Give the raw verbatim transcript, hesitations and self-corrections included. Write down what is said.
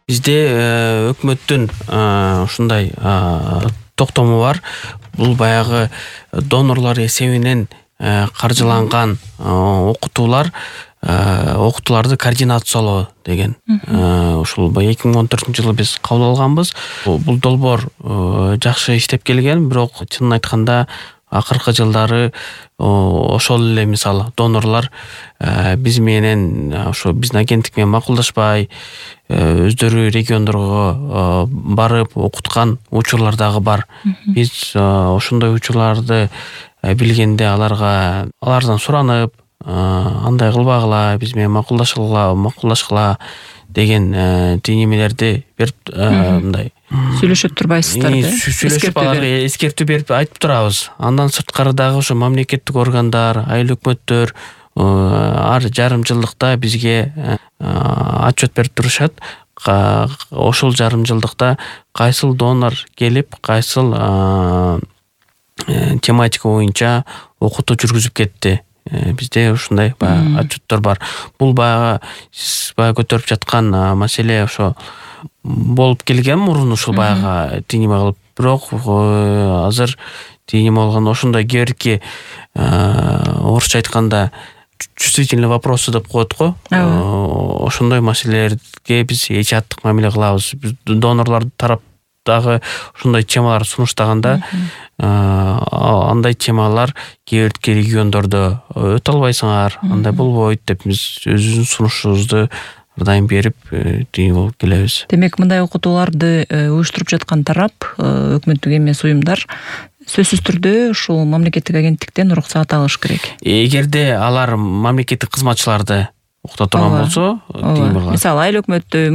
Бизде өкмөттүн ушундай токтому бар. Бул баягы донорлор эсебинен каржыланган окутуулар, окутууларды координациялоо деген. Ушул эки миң он төртүнчү жылы биз кабыл алганбыз. Бул долбоор жакшы иштеп келген, бирок чынын айтканда акыркы жылдары ошол эле мисалы донорлор биз менен ошо биздин агенттик менен макулдашпай, өздөрү региондорго барып окуткан учурлар дагы бар. Биз ошондой учурларды билгенде аларга алардан суранып, андай кылбагыла, биз менен макулдашкыла, макулдашкыла деген теңемелерди берип, мындай сүйлөшүп турбайсыздарбы? Сүйлөшүп аларга эскертүү берип айтып турабыз. Андан сырткары дагы ошо мамлекеттик органдар, айыл өкмөттөр ар жарым жылдыкта бизге отчет берип турушат. Ошол жарым жылдыкта кайсыл донор келип, кайсыл тематика боюнча окутуу жүргүзүп кетти. Бизде ушундай баягы отчеттор бар. Бул баягы сиз баягы көтөрүп жаткан маселе ошо болуп келген мурун, ушул баягы теңеме кылып, бирок азыр теңеме болгон ошондой кээ орусча айтканда чувствительный вопросы деп коет го. Ошондой маселелерге биз эч аттык мамиле кылабыз. Донорлор тараптагы ошондой темалар сунуштаганда андай темалар кээ бир региондордо өтө албайсыңар, андай болбойт деп биз өзүбүздүн сунушубузду ар дайым берип тиги болуп келебиз. Демек, мындай окутууларды уюштуруп жаткан тарап, өкмөттүк эмес уюмдар сөзсүз түрдө ушул мамлекеттик агенттиктен уруксаат алыш керек. Эгерде алар мамлекеттик кызматчыларды окута турган болсо, мисалы айыл өкмөттү,